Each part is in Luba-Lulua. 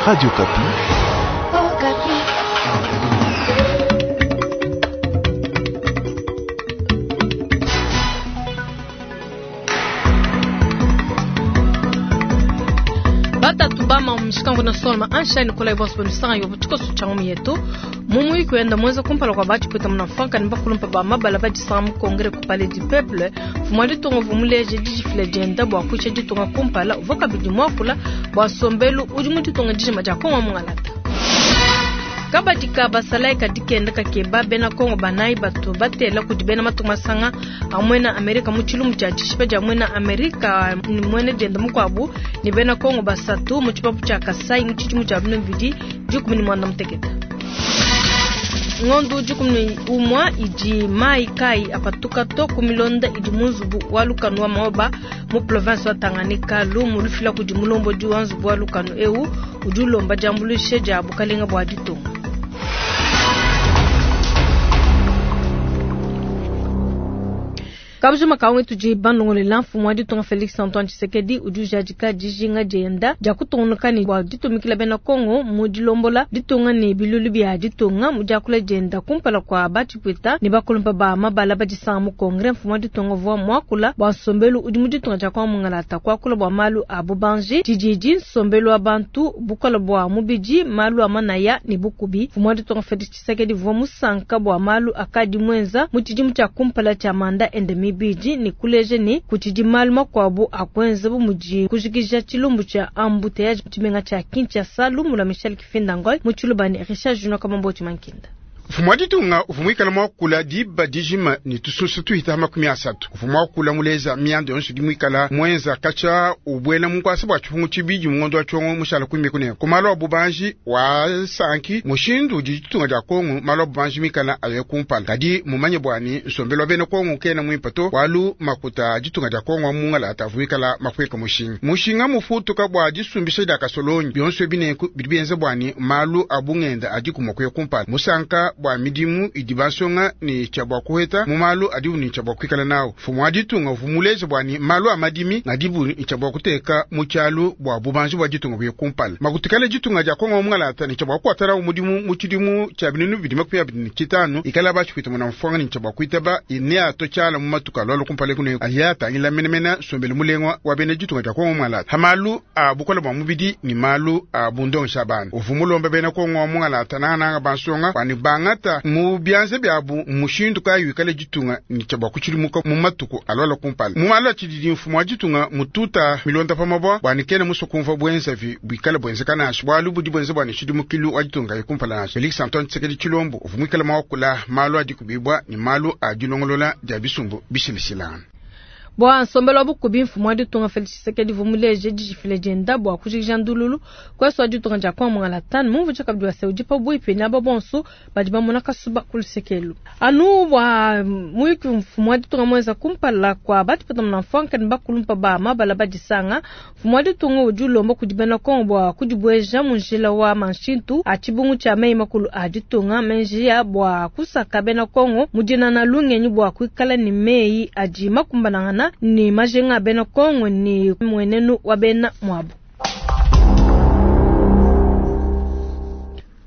Radio Okapi. Batatu bama mushikangu na solma ansha ni kolai bonso banu sanga yo tshikoso tsha ngomu yetu mumu ikwenda mwenza kumpala kwa bachi pweta muna fanka ni bakulumpa ba mabala badisanga mu congrès ku palais du peuple mfumu wa ditunga uvua muleje dijifila dienda bua kuisha ditunga kumpala uvua kabidi muakula bua nsombelu udi mu ditunga dijima dia Kongo mungalata. Kabadi ka basalayi kadi kenda kakeba bena Kongo banayi batu batela kudi bena matunga masanga a muena Amerika mu tshilumbu tshia dishipa dia muena Amerika ni muena dienda mukuabu ni bena Kongo basatu mu tshipapu tshia Kasai mu tshidimu tshia 2018. Ngondu 11 idi mai kai apatuka to ku milonda idi mu nzubu wa lukanu wa Maoba mu province wa Tanganyika lumu lufila kudi mulombodi wa nzubu wa lukanu eu udi ulomba diambuluisha dia bukalenga bua ditunga. Kabujima kawe tudi bandongolela mfumu wa ditunga Felix Antoine Tshisekedi udi ujadika dijinga dienda dia kutungunuka ne bua ditumikila bena Kongo mu dilombola ditunga ne bilulu bia ditunga mu diakula dienda kumpala kwa batshipwita ne bakulumpa ba mabala badisanga mu Congrès. Mfumu wa ditunga uvua muakula bua nsombelu udi mu ditunga dia Kongo mungalata kuakula bua malu a bubanji tshididi nsombelu wa bantu bukola bua mubidi malu a manaya ne bukubi. Mfumu wa ditunga Felix Tshisekedi uvua musanka bua malu akadi muenza mu tshidimu tshia kumpala tshia manda ende mibidi ne kuleja ne kutshidi malu makuabu a kuenza bu mudi kujikija tshilumbu tshia embouteillage tshimenga tshia Kinshasa. Lumu lua Michel Kifinda-Ngoy mu Tshiluba ne Richard Junior Kamamboti Mankinda. Mfumu wa ditunga uvua muikale muakula diba dijima ne tusunsu tuhita 30. Uvua muakula muleza mianda yonso idi muikala muenza katshia ubuela mu nkuasa bua tshipungu tshibidi mu ngondo wa tshiongo mushala kuimbi kunene. Ku malu a bubanji wa sanki mushindu udi ditunga dia Kongo malu a bubanji mikala aye kumpala. Kadi mumanye bua ne nsombelu wa bena Kongo kena muimpe to, bualu makuta a ditunga dia Kongo wa mungalata avua muikala mapueka mushinga. Mushinga mufutuka bua disumbisha dia kasolonyi bionso ebi nenku bidi bienza bua ne malu a bungenda adi kumua kuya kumpala. Musanka bua midimu idi bansonga ne tshia bua kuheta mu malu adibu ne tshia bua kuikala nawu. Mfumu wa ditunga uvua muleje bua ne malu a madimi ngadibu ne tshia bua kuteka mu tshialu bua bubanji bua ditunga buye kumpala. Makutikale ditunga dia Kongo mungalata ne tshia bua kuatala mudimu mu tshidimu tshia 2025 ikala batshipita muna mfuanga ne tshia bua kuitaba ne ato tshiala mu matuka alua kumpala kune aya tangila menemene nsombelu mulengwa wa bena ditunga dia Kongo mungalata. Ha malu a bukola bua mubidi ni malu a bundongesha bana. Uvua mulombe bena Kongo mungalata nangananga bansonga bua ne bangata mu bianza biabu mushindu kayi wikale ditunga ne tshia bua kutshidimuka mu matuku alua kumpala. Mu malu a tshididi mfumu wa ditunga mututa milonda pa mabua bua ne kena musue kumvua buenzavi buikale buenzeka nansha bualu budi buenza bua ne tshidimukilu wa ditunga ye kumpala nansha. Felix Antoine Tshisekedi Tshilombo uvua muikale muakula malu a dikubibua ne malu a dilongolola dia bisumbu bishilashilangana. Bua nsombelu wa bukubi mfumu wa ditunga Felix Tshisekedi uvua muleje dijifila dienda bua kujikija ndululu kuesu wa ditunga dia Kongo mungalata. Mumvu tshia kabidi wa se udi pabuipi ne aba bonso badi bamona kasuba ku lusekelu. Anu bua muyuki mfumu wa ditunga muenza kumpala kwa batipata muna mfuanka ne bakulumpa ba mabala badisanga. Mfumu wa ditunga udi ulomba kudi bena Kongo bua kudibueja mu njila wa manshintu a tshibungu tshia meyi makulu a ditunga menji ya bua kusaka bena Kongo mu dinana lungenyi bua kuikala ne meyi adi makumbanangana ni majinga bena Kongo ni mwenenu wa bena mwabu.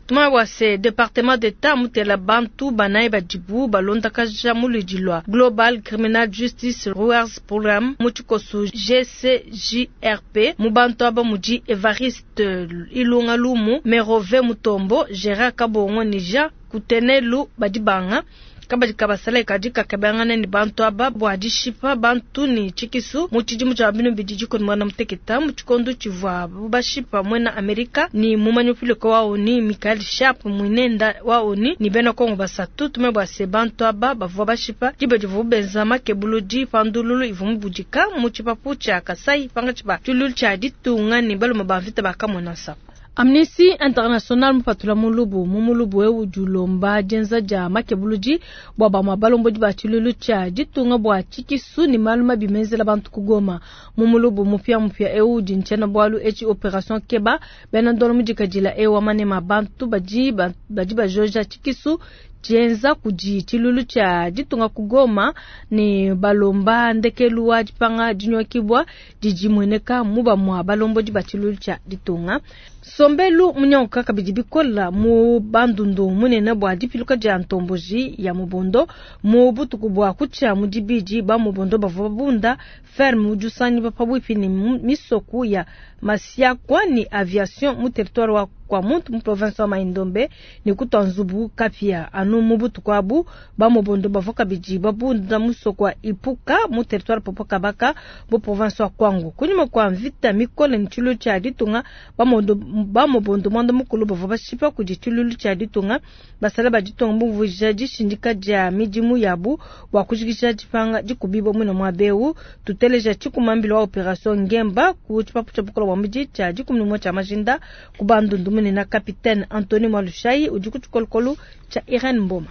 Tuma wa se département d'État mutela bantu banayi badibu balonda kaja muludi lwa Global Criminal Justice Rewards Program mu tshikoso GCJRP mu bantu aba mudi Evariste Ilunga Lumu, Merove Mutombo, Gérard Kabongo ni Jean Kutenelu badibanga. Kabadi kabasala kadi kakebangana ni bantu aba bua dishipa bantu ni tshikisu mu tshidimu tshia binu bidi dikoni mwana muteketa mu tshikondo tshivua bashipa mwena Amerika ni mumanyi wa ONU Michael Sharp mwinenda wa ONU ni bena Kongo basatu tume bua se bantu aba bavua bashipa diba divua benza makebuludi pandululu ivua mubudika mu tshipapu tshia Kasai panga tshiba tshilulu tshia ditunga ni baluma ba mvita bakamona nsaku. Amnesty International mupatula mulubu mu mulubu eu udi ulomba dienza dia makebuludi bua bamue balombodi ba tshilulu tshia ditunga bua tshikisu ne malu mabi menzela bantu ku Goma. Mu mulubu mupia mupia eu udi ntshiena bualu etshi Operation Keba bena ndolo mudikadila eu wa manema bantu badi bajoja tshikisu tshienza kudi tshiluilu tshia ditunga ku Goma ne balomba ndekelu wa dipanga dinyokibua didi mueneka mu bamua balombodi ba tshiluilu tshia ditunga. Nsombelu munyanguka kabidi bikola mu Bandundu munene bua dipiluka dia ntomboji ya Mobondo mu butuku bua kutshia mu dibidi. Ba Mobondo bavua babunda ferme udi usangiba pabuipi ne misoku ya Masiakwa ne aviation mu territoire wa Kwamouth mu province wa Mai-Ndombe ne kutua nzubu kapia. Anu mu butuku abu ba Mobondo bavua kabidi babunda musoko wa Ipuka mu territoire Popokabaka mu province wa Kwango. Kunyima kua mvita mikole ne tshiluilu tshia ditunga, ba Mobondo muanda mukulu bavua bashipa kudi tshiluilu tshia ditunga. Basala ba ditunga bumvuija dishindika dia midimu yabu bua kujikija dipanga dikubibua muine muaba eu. Tuteleja tshikumambila wa operation Ngemba ku tshipapu tshia bukole bua mubidi tshia 11 tshia majinda ku Bandundu munene, capitaine Anthony Mwalushayi udi ku tshikolokolo tshia Irene Mboma.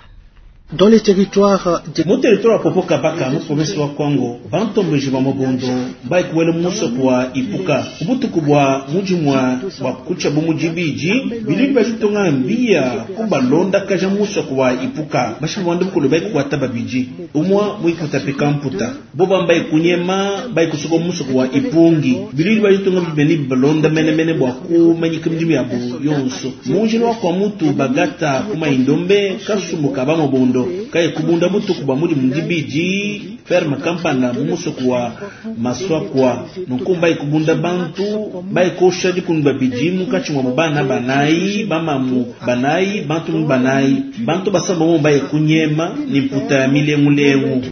Dans les territoires de Mu territoire wa Popokabaka mu province wa Kwango, bantomboji ba Mobondo baikuwele musoko wa Ipuka kubutuku bua mujimwa bua kucha bu mujibiji bilili bajitonga mbia kubalonda kaja musoko wa Ipuka bashabwanda bukulu baikukwata babiji umwa muikutapika mputa bo bambaye kunyema baikusuka musoko wa Ipungi bilili bajitonga bibeni balonda menemene bua kumanyika midimu yabo yonso munjini wa kwa mutu bagata kuma indombe kasumbuka ba Mobondo kaye kubunda butuku bwa mudi mudibidi ferme kampanda mu musoko wa Maswakwa nunku baikubunda bantu baikosha dikunu babidi munkatshi mua bana banayi bamamu banayi bantu mu banayi bantu basamba mo baikunyema ni mputa ya milengulengu.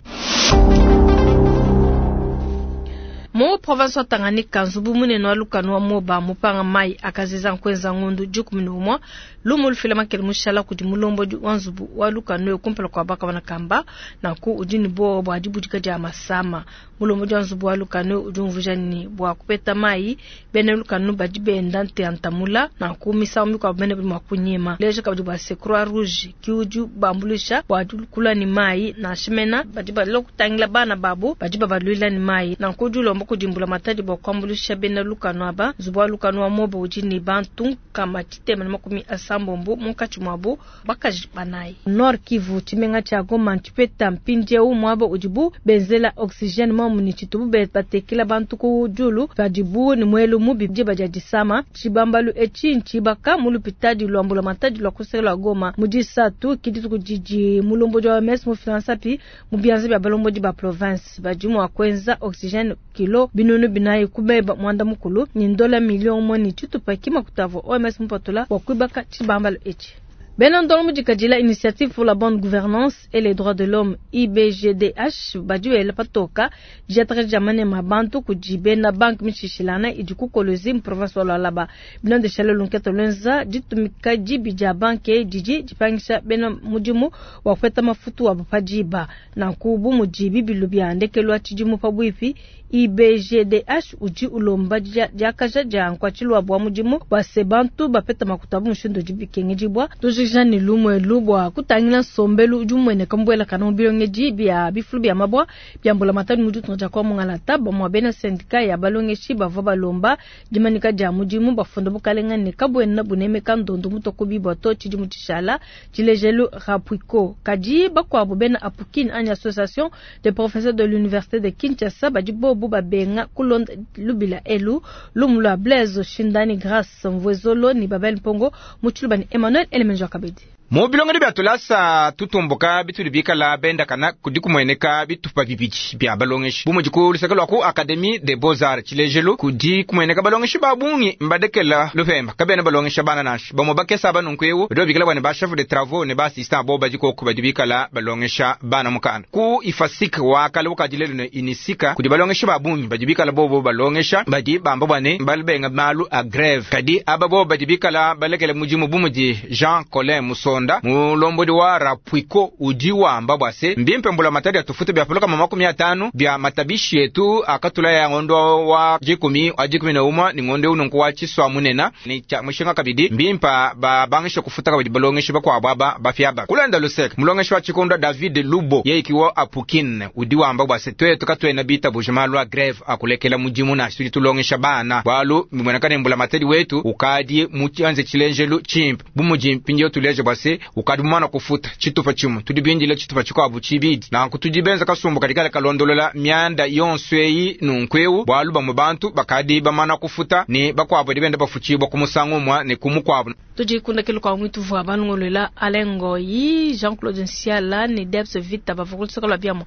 Mu province wa Tanganyika, nzubu munene wa lukanu wa Moba mupanga mai akaziza nkwenza ngundu 11 lumu lufila makele mushala kudi mulombodi wa nzubu wa lukanu kumpala kwa baka banakamba nanku udi ne buowa bua dibudika dia masama. Mulombodi wa nzubu wa lukanu udi umvuija ne bua kupeta mai bena lukanu badi benda nteantamula nanku misangu mikuabu bene badi mua kunyema. Leja kabidi bua se Croix Rouge ki udi bambuluisha bua kula ne mai nansha mena badi balua kutangila bana babu badi babaluila ne mai nanku udi ulomba kudimbula matadi bua kuambuluisha bena lukanu aba. Nzubu wa lukanu wa Moba udi ne bantu kama 680 munkatshi muabu bakaji banayi. Nord Kivu, tshimenga tshia Goma ntshipeta mpindieu muaba udibu benzela oxygène momu ne tshitubu batekela bantu ku diulu padibu ne muelu mubi diba dia disama. Tshibambalu etshi ntshibaka mu lupitadi lwa mbula matadi lwa kuseka lwa Goma mu disatu ki dituku didi mulombodi wa OMS mu finansapi mu bianza bia balombodi ba province badi mua kuenza oxygène kilo 400 kubeba mwanda mukulu ni ndola milioni moja ni tshitupa kimakutavo OMS mupatula wa kuibaka tshibambalo etshi. Bena ndongo mudikadila Initiative pour la bonne gouvernance et les droits de l'homme IBGDH badi patoka diataka dia manema bantu kudi bena banque mishishilana idi ku Kolwezi mu province wa Lualaba. Bilondeshile lunketa lwenza ditumika dibi dia banque didi dipangisha bena mudimu wa kupeta mafutu wa padiba nanku bu mudi bibilu bia ndekelu wa tshidimu pabuipi. IBGDH udi ulomba diakaja dia nkuatshilu wa mudimu wa se bantu bapeta makuta bu mushindu udi bikengedibua. Tujikija ne lumue bua kutangila nsombelu udi umueneka mbuelakana mu bilongedi bia bifulu bia mabua bia mbulamatadi mu ditunga dia kwa Mungalata. Bamue bena syndicat ya balongeshi bavua balomba dimanika dia mudimu bafunda bukalenga ne kabuena bunemeka ndondo mutoko bibua to tshidimu tshishala tshilejelu Rapuiko. Kadi bakuabu bena Apukin anyi association des professeurs de l'université de Kinshasa badi bobu babenga kulonda lubila elu lumu lwa Blaise Shindani Grace Mvwezolo ni Babel Mpongo mu tshiluba ni Emmanuel Elemenjo Kabedi. Mu bilongedi bia tulasa tutumbuka bituli bikala bendakana kudi kumueneka bitupa bibidi bia balongeshi bumudi ku luseke lwa ku Académie des Beaux-Arts tshilejelu kudi kumueneka balongeshi ba bungi mbadekela lupemba kabena balongesha bana nansha bamue bakesa banunku eu badi babikila bua ne ba chef de travaux ne ba assistant bo badi koku badi bikala balongesha bana mukanda ku IFASIC wa kale bukadi lelu ne Unisika kudi balongeshi ba bungi badi bikala bobo balongesha badi bamba bua ne balibenga malu a grève kadi aba bobo badi bikala balekele mudimu bumudi Jean Colin Musonda mulombodi wa Rapuiko udi wamba bua se mbimpe mbula matadi atufuta bia puluka 50 bia matabishi yetu akatula ya ngondo wa 10 wa 11 ni ngondo ununku wa chiswa munena ni cha mushinga kabidi mbimpa ba bangisha kufuta kabidi balongeshi bakwa baba bafiaba kulanda lusek mulongeshi wa chikondo David Lubo yeikiwa Apukin udi wamba bua se twetu katwena bita bujima lwa grève akulekela mudimu na tudi tulongesha bana bwalu mwenakane mbula matadi wetu ukadi muchanze chilenjelu chimpe bumuji mpindio tuleje bua se se, ukadi mumana kufuta tshitupa tshimue, tudi bindile tshitupa tshikuabu tshibidi. Nanku tudi benza kasumbu kadi kale kalondolola mianda yonso eyi nunku eu, bualu bamue bantu bakadi bamana kufuta ne bakuabu badi benda bafutshibua ku musangu umue ne ku mukuabu. Tudi kundekelu kua muituvua balongoluela Alain Ngoyi, Jean-Claude Nsiala ne Debs Vita bavua ku luseke lua biamua.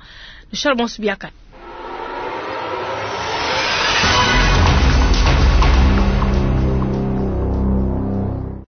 Nushale bonso biakane.